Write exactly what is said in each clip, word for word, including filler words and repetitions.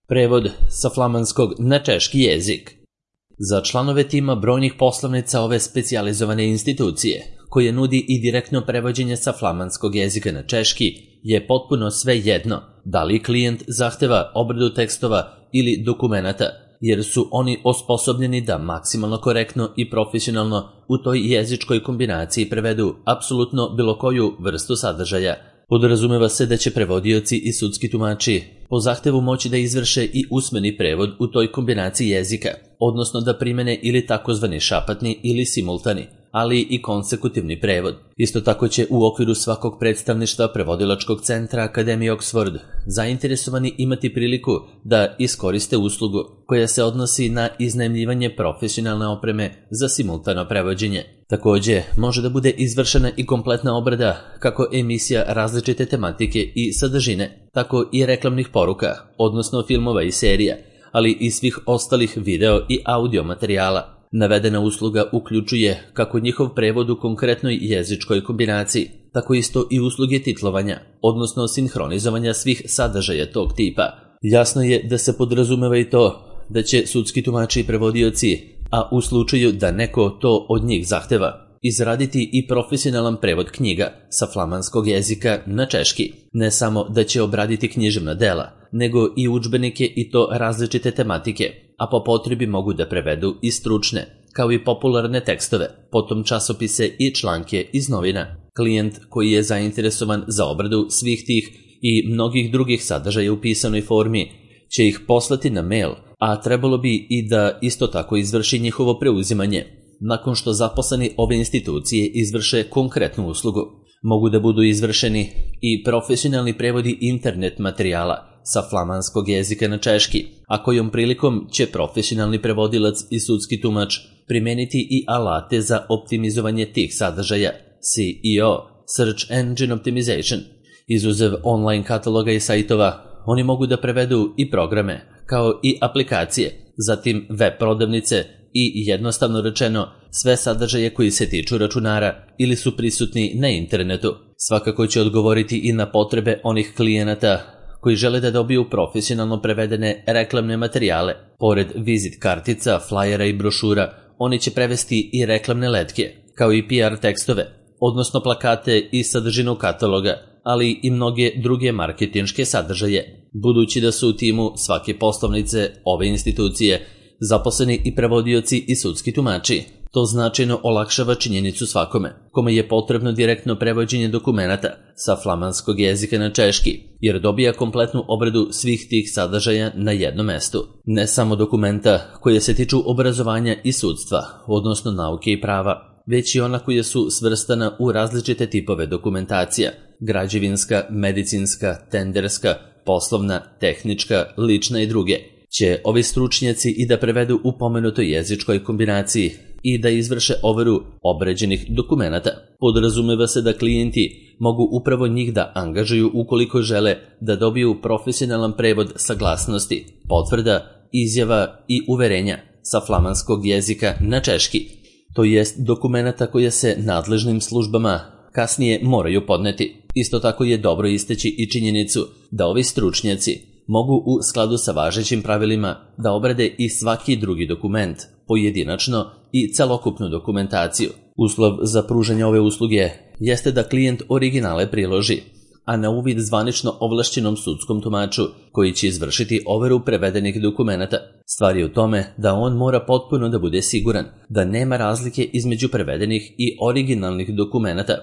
Prevod sa flamanskog na češki jezik. Za članove tima brojnih poslovnica ove specijalizovane institucije, koje nudi i direktno prevođenje sa flamanskog jezika na češki, je potpuno sve jedno da li klijent zahteva obradu tekstova ili dokumenata, jer su oni osposobljeni da maksimalno korektno i profesionalno u toj jezičkoj kombinaciji prevedu apsolutno bilo koju vrstu sadržaja. Podrazumeva se da će prevodioci i sudski tumači po zahtevu moći da izvrše i usmeni prevod u toj kombinaciji jezika, odnosno da primene ili takozvani šapatni ili simultani, ali i konsekutivni prevod. Isto tako će u okviru svakog predstavništva prevodilačkog centra Akademije Oxford zainteresovani imati priliku da iskoriste uslugu koja se odnosi na iznajmljivanje profesionalne opreme za simultano prevođenje. Takođe, može da bude izvršena i kompletna obrada kako emisija različite tematike i sadržine, tako i reklamnih poruka, odnosno filmova i serija, ali i svih ostalih video i audio materijala. Navedena usluga uključuje kako njihov prevod u konkretnoj jezičkoj kombinaciji, tako isto i usluge titlovanja, odnosno sinhronizovanja svih sadržaja tog tipa. Jasno je da se podrazumeva i to da će sudski tumači i prevodioci, a u slučaju da neko to od njih zahteva, izraditi i profesionalan prevod knjiga sa flamanskog jezika na češki. Ne samo da će obraditi književna dela, nego i udžbenike i to različite tematike, a po potrebi mogu da prevedu i stručne, kao i popularne tekstove, potom časopise i članke iz novina. Klijent koji je zainteresovan za obradu svih tih i mnogih drugih sadržaja u pisanoj formi će ih poslati na mail, a trebalo bi i da isto tako izvrši njihovo preuzimanje. Nakon što zaposleni ove institucije izvrše konkretnu uslugu, mogu da budu izvršeni i profesionalni prevodi internet materijala sa flamanskog jezika na češki, a kojom prilikom će profesionalni prevodilac i sudski tumač primeniti i alate za optimizovanje tih sadržaja, S E O, Search Engine Optimization. Izuzev online kataloga i sajtova, oni mogu da prevedu i programe, kao i aplikacije, zatim web prodavnice i jednostavno rečeno sve sadržaje koji se tiču računara ili su prisutni na internetu. Svakako će odgovoriti i na potrebe onih klijenata koji žele da dobiju profesionalno prevedene reklamne materijale. Pored vizit kartica, flajera i brošura, oni će prevesti i reklamne letke, kao i P R tekstove, odnosno plakate i sadržinu kataloga, ali i mnoge druge marketinške sadržaje. Budući da su u timu svake poslovnice ove institucije zaposleni i prevodioci i sudski tumači, to značajno olakšava činjenicu svakome kome je potrebno direktno prevođenje dokumenata sa flamanskog jezika na češki, jer dobija kompletnu obradu svih tih sadržaja na jednom mestu. Ne samo dokumenta koje se tiču obrazovanja i sudstva, odnosno nauke i prava, već i ona koja su svrstana u različite tipove dokumentacija: građevinska, medicinska, tenderska, poslovna, tehnička, lična i druge. Će ovi stručnjaci i da prevedu u pomenutoj jezičkoj kombinaciji i da izvrše overu obrađenih dokumenata. Podrazumeva se da klijenti mogu upravo njih da angažuju ukoliko žele da dobiju profesionalan prevod saglasnosti, potvrda, izjava i uverenja sa flamanskog jezika na češki, to jest dokumenata koje se nadležnim službama kasnije moraju podneti. Isto tako je dobro istaći i činjenicu da ovi stručnjaci mogu u skladu sa važećim pravilima da obrade i svaki drugi dokument, pojedinačno i celokupnu dokumentaciju. Uslov za pružanje ove usluge jeste da klijent originale priloži, a na uvid zvanično ovlašćenom sudskom tumaču koji će izvršiti overu prevedenih dokumenata. Stvar je u tome da on mora potpuno da bude siguran da nema razlike između prevedenih i originalnih dokumenata,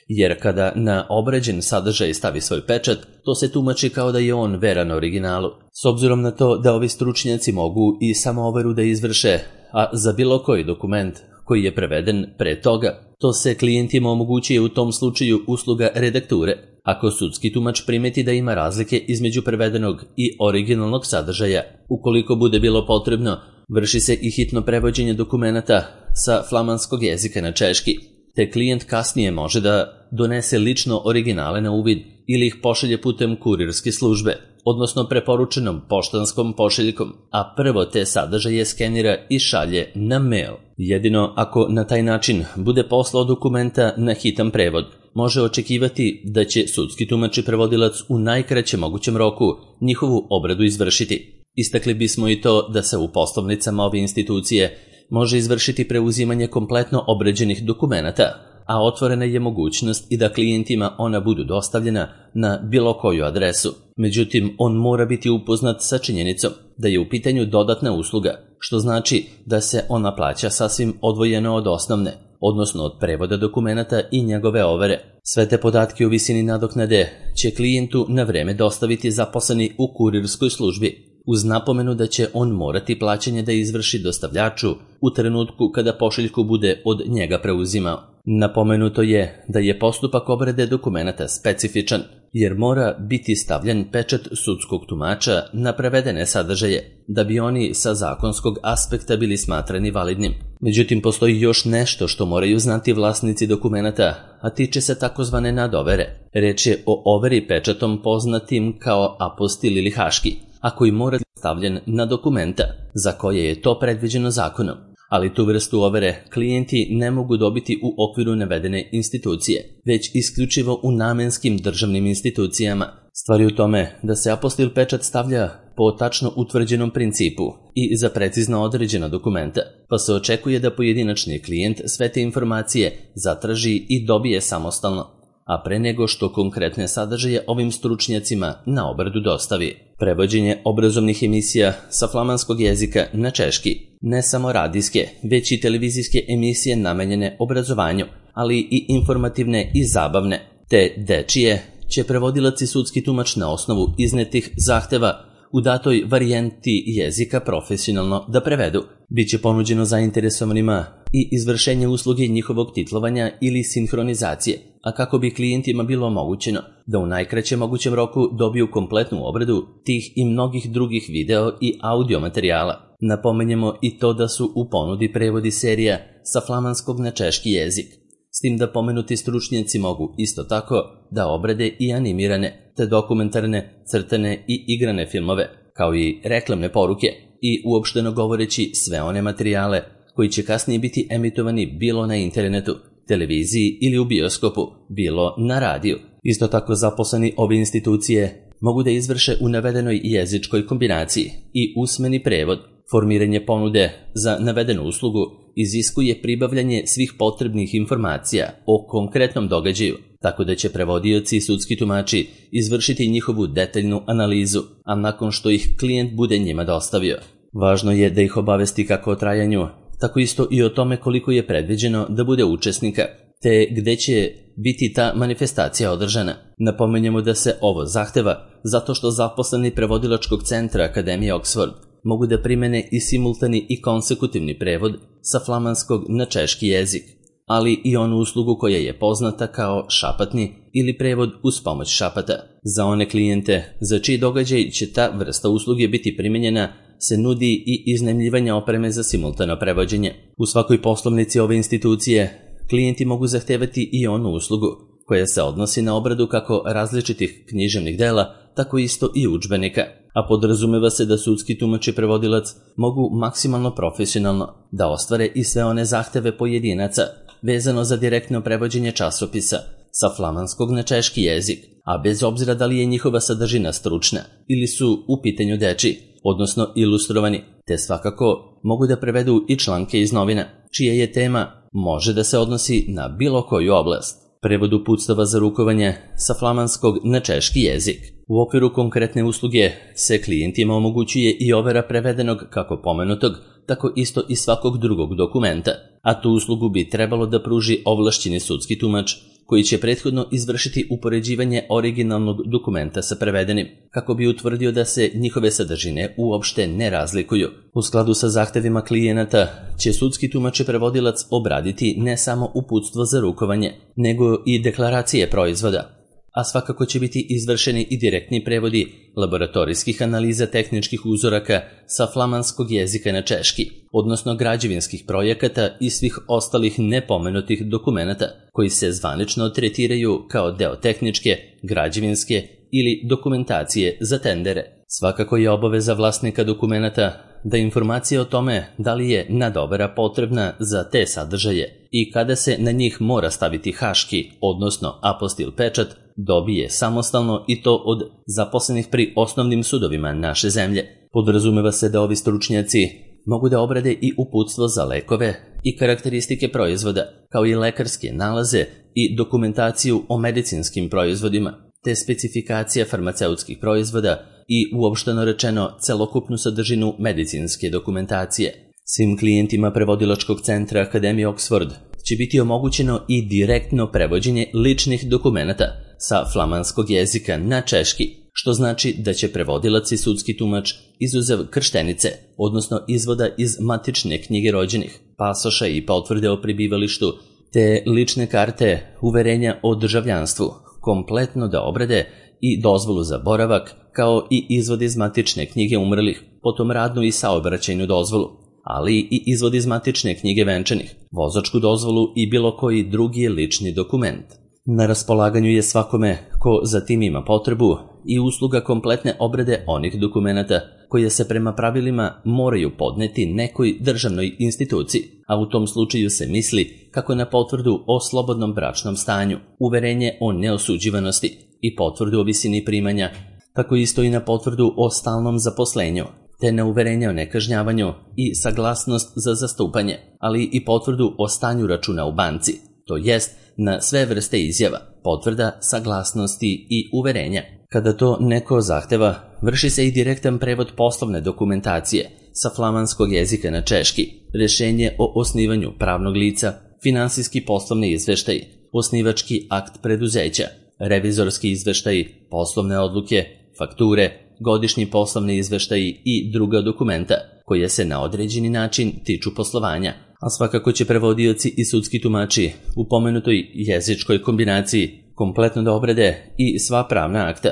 jer kada na obrađen sadržaj stavi svoj pečat, to se tumači kao da je on veran originalu. S obzirom na to da ovi stručnjaci mogu i samo overu da izvrše, a za bilo koji dokument koji je preveden pre toga, to se klijentima omogućuje u tom slučaju usluga redakture. Ako sudski tumač primeti da ima razlike između prevedenog i originalnog sadržaja, ukoliko bude bilo potrebno, vrši se i hitno prevođenje dokumenata sa flamanskog jezika na češki, te klijent kasnije može da donese lično originale na uvid ili ih pošalje putem kurirske službe, odnosno preporučenom poštanskom pošiljkom, a prvo te sadržaje skenira i šalje na mail. Jedino ako na taj način bude poslao dokumenta na hitan prevod, može očekivati da će sudski tumač i prevodilac u najkraćem mogućem roku njihovu obradu izvršiti. Istakli bismo i to da se u poslovnicama ove institucije može izvršiti preuzimanje kompletno obrađenih dokumenata, a otvorena je mogućnost i da klijentima ona budu dostavljena na bilo koju adresu. Međutim, on mora biti upoznat sa činjenicom da je u pitanju dodatna usluga, što znači da se ona plaća sasvim odvojeno od osnovne, odnosno od prevoda dokumenata i njegove overe. Sve te podatke u visini nadoknade će klijentu na vreme dostaviti zaposleni u kurirskoj službi, uz napomenu da će on morati plaćanje da izvrši dostavljaču u trenutku kada pošiljku bude od njega preuzimao. Napomenuto je da je postupak obrade dokumenata specifičan, jer mora biti stavljen pečat sudskog tumača na prevedene sadržaje, da bi oni sa zakonskog aspekta bili smatrani validnim. Međutim, postoji još nešto što moraju znati vlasnici dokumenata, a tiče se takozvane nadovere. Reč je o overi pečatom poznatim kao apostil ili haški, a koji mora biti stavljen na dokumenta za koje je to predviđeno zakonom. Ali tu vrstu overe klijenti ne mogu dobiti u okviru navedene institucije, već isključivo u namenskim državnim institucijama. Stvar je u tome da se apostil pečat stavlja po tačno utvrđenom principu i za precizno određena dokumenta, pa se očekuje da pojedinačni klijent sve te informacije zatraži i dobije samostalno, a pre nego što konkretne sadržaje ovim stručnjacima na obradu dostavi. Prevođenje obrazovnih emisija sa flamanskog jezika na češki, ne samo radijske, već i televizijske emisije namenjene obrazovanju, ali i informativne i zabavne, te dečije, će prevodilac i sudski tumač na osnovu iznetih zahteva u datoj varijenti jezika profesionalno da prevedu. Biće ponuđeno zainteresovanima i izvršenje usluge njihovog titlovanja ili sinhronizacije, a kako bi klijentima bilo omogućeno da u najkraćem mogućem roku dobiju kompletnu obradu tih i mnogih drugih video i audio materijala. Napomenjemo i to da su u ponudi prevodi serija sa flamanskog na češki jezik, s tim da pomenuti stručnjaci mogu isto tako da obrade i animirane, te dokumentarne, crtane i igrane filmove, kao i reklamne poruke i uopšteno govoreći sve one materijale koji će kasnije biti emitovani bilo na internetu, televiziji ili u bioskopu, bilo na radiju. Isto tako zaposleni ove institucije mogu da izvrše u navedenoj jezičkoj kombinaciji i usmeni prevod. Formiranje ponude za navedenu uslugu iziskuje pribavljanje svih potrebnih informacija o konkretnom događaju, tako da će prevodioci i sudski tumači izvršiti njihovu detaljnu analizu, a nakon što ih klijent bude njima dostavio. Važno je da ih obavesti kako o trajanju, tako isto i o tome koliko je predviđeno da bude učesnika, te gde će biti ta manifestacija održana. Napomenjemo da se ovo zahteva zato što zaposleni prevodilačkog centra Akademije Oxford mogu da primene i simultani i konsekutivni prevod sa flamanskog na češki jezik, ali i onu uslugu koja je poznata kao šapatni ili prevod uz pomoć šapata. Za one klijente za čiji događaj će ta vrsta usluge biti primenjena se nudi i iznajmljivanje opreme za simultano prevođenje. U svakoj poslovnici ove institucije klijenti mogu zahtevati i onu uslugu koja se odnosi na obradu kako različitih književnih dela, tako isto i udžbenika, a podrazumeva se da sudski tumač i prevodilac mogu maksimalno profesionalno da ostvare i sve one zahteve pojedinaca vezano za direktno prevođenje časopisa sa flamanskog na češki jezik, a bez obzira da li je njihova sadržina stručna ili su u pitanju deči, odnosno ilustrovani, te svakako mogu da prevedu i članke iz novina, čija je tema može da se odnosi na bilo koju oblast. Prevod uputstava za rukovanje sa flamanskog na češki jezik. U okviru konkretne usluge se klijentima omogućuje i overa prevedenog kako pomenutog, tako isto i svakog drugog dokumenta, a tu uslugu bi trebalo da pruži ovlašćeni sudski tumač koji će prethodno izvršiti upoređivanje originalnog dokumenta sa prevedenim, kako bi utvrdio da se njihove sadržine uopšte ne razlikuju. U skladu sa zahtevima klijenata će sudski tumač i prevodilac obraditi ne samo uputstvo za rukovanje, nego i deklaracije proizvoda, a svakako će biti izvršeni i direktni prevodi laboratorijskih analiza tehničkih uzoraka sa flamanskog jezika na češki, odnosno građevinskih projekata i svih ostalih nepomenutih dokumenata koji se zvanično tretiraju kao deo tehničke, građevinske ili dokumentacije za tendere. Svakako je obaveza vlasnika dokumenata da informacije o tome da li je nadovera potrebna za te sadržaje i kada se na njih mora staviti haški, odnosno apostil pečat, dobije samostalno i to od zaposlenih pri osnovnim sudovima naše zemlje. Podrazumeva se da ovi stručnjaci mogu da obrade i uputstvo za lekove i karakteristike proizvoda, kao i lekarske nalaze i dokumentaciju o medicinskim proizvodima, te specifikacija farmaceutskih proizvoda i uopšteno rečeno celokupnu sadržinu medicinske dokumentacije. Svim klijentima prevodilačkog centra Akademije Oxford će biti omogućeno i direktno prevođenje ličnih dokumenata sa flamanskog jezika na češki, što znači da će prevodilac i sudski tumač izuzev krštenice, odnosno izvoda iz matične knjige rođenih, pasoša i potvrde o prebivalištu, te lične karte uverenja o državljanstvu, kompletno da obrade i dozvolu za boravak, kao i izvod iz matične knjige umrlih, potom radnu i saobraćajnu dozvolu, ali i izvod iz matične knjige venčanih, vozačku dozvolu i bilo koji drugi lični dokument. Na raspolaganju je svakome ko za tim ima potrebu i usluga kompletne obrade onih dokumenata koje se prema pravilima moraju podneti nekoj državnoj instituciji, a u tom slučaju se misli kako na potvrdu o slobodnom bračnom stanju, uverenje o neosuđivanosti i potvrdu o visini primanja, tako isto i na potvrdu o stalnom zaposlenju, te na uverenje o nekažnjavanju i saglasnost za zastupanje, ali i potvrdu o stanju računa u banci, to jest na sve vrste izjava, potvrda, saglasnosti i uverenja. Kada to neko zahteva, vrši se i direktan prevod poslovne dokumentacije sa flamanskog jezika na češki, rešenje o osnivanju pravnog lica, finansijski poslovni izveštaj, osnivački akt preduzeća, revizorski izveštaj, poslovne odluke, fakture, godišnji poslovni izveštaji i druga dokumenta koje se na određeni način tiču poslovanja, a svakako će prevodioci i sudski tumači u pomenutoj jezičkoj kombinaciji kompletno da obrade i sva pravna akta,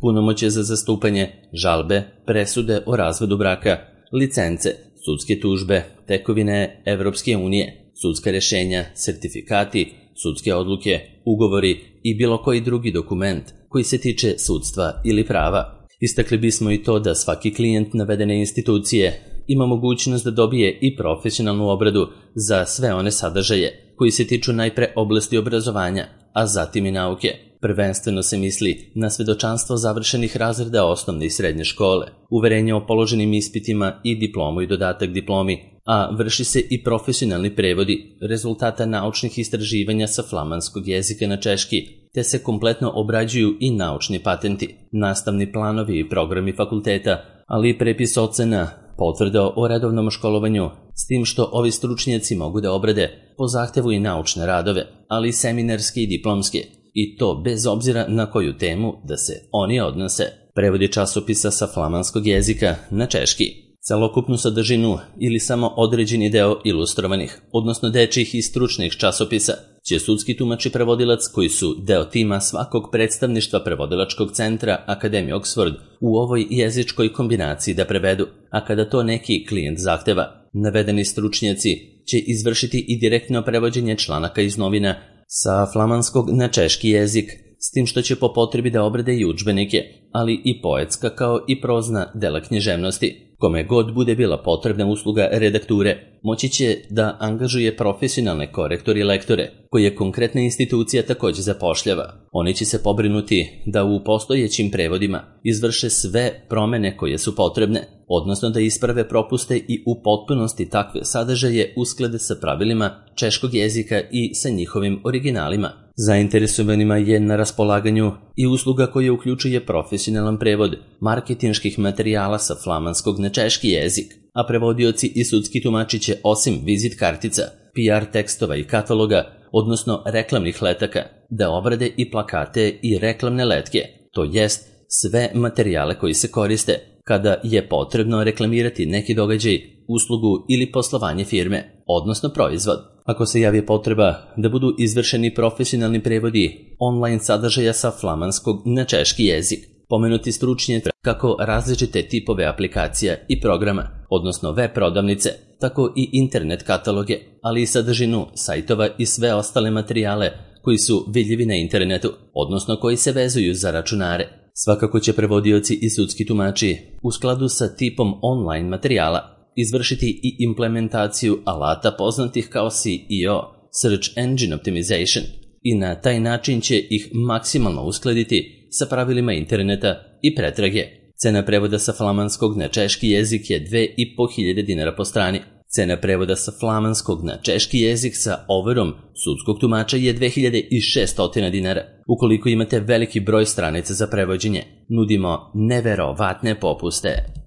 punomoćje za zastupanje, žalbe, presude o razvodu braka, licence, sudske tužbe, tekovine Evropske unije, sudska rešenja, sertifikati, sudske odluke, ugovori i bilo koji drugi dokument koji se tiče sudstva ili prava. Istakli bismo i to da svaki klijent navedene institucije ima mogućnost da dobije i profesionalnu obradu za sve one sadržaje koji se tiču najpre oblasti obrazovanja, a zatim i nauke. Prvenstveno se misli na svedočanstvo završenih razreda osnovne i srednje škole, uverenje o položenim ispitima i diplomu i dodatak diplomi, a vrši se i profesionalni prevodi rezultata naučnih istraživanja sa flamanskog jezika na češki, te se kompletno obrađuju i naučni patenti, nastavni planovi i programi fakulteta, ali i prepis ocena, potvrda o redovnom školovanju, s tim što ovi stručnjaci mogu da obrade po zahtevu i naučne radove, ali i seminarske i diplomske, i to bez obzira na koju temu da se oni odnose. Prevodi časopisa sa flamanskog jezika na češki, celokupnu sadržinu ili samo određeni deo ilustrovanih, odnosno dečjih i stručnih časopisa, će sudski tumač i prevodilac koji su deo tima svakog predstavništva prevodilačkog centra Akademije Oxford u ovoj jezičkoj kombinaciji da prevedu, a kada to neki klijent zahteva, navedeni stručnjaci će izvršiti i direktno prevođenje članaka iz novina sa flamanskog na češki jezik, s tim što će po potrebi da obrade i udžbenike, ali i poetska kao i prozna dela književnosti. Kome god bude bila potrebna usluga redakture, moći će da angažuje profesionalne korektore i lektore, koje konkretna institucija takođe zapošljava. Oni će se pobrinuti da u postojećim prevodima izvrše sve promene koje su potrebne, odnosno da isprave propuste i u potpunosti takve sadržaje usklade sa pravilima češkog jezika i sa njihovim originalima. Zainteresovanima je na raspolaganju i usluga koja uključuje profesionalan prevod marketinških materijala sa flamanskog na češki jezik, a prevodioci i sudski tumači će osim vizit kartica, P R tekstova i kataloga, odnosno reklamnih letaka, da obrade i plakate i reklamne letke, to jest sve materijale koji se koriste kada je potrebno reklamirati neki događaj, uslugu ili poslovanje firme, odnosno proizvod. Ako se javi potreba da budu izvršeni profesionalni prevodi online sadržaja sa flamanskog na češki jezik, pomenuti stručnjaci kako različite tipove aplikacija i programa, odnosno web prodavnice, tako i internet kataloge, ali i sadržinu sajtova i sve ostale materijale koji su vidljivi na internetu, odnosno koji se vezuju za računare. Svakako će prevodioci i sudski tumači u skladu sa tipom online materijala izvršiti i implementaciju alata poznatih kao S E O, Search Engine Optimization, i na taj način će ih maksimalno uskladiti sa pravilima interneta i pretrage. Cena prevoda sa flamanskog na češki jezik je dve i po hiljade dinara po strani. Cena prevoda sa flamanskog na češki jezik sa overom sudskog tumača je dve hiljade šesto dinara. Ukoliko imate veliki broj stranica za prevođenje, nudimo neverovatne popuste.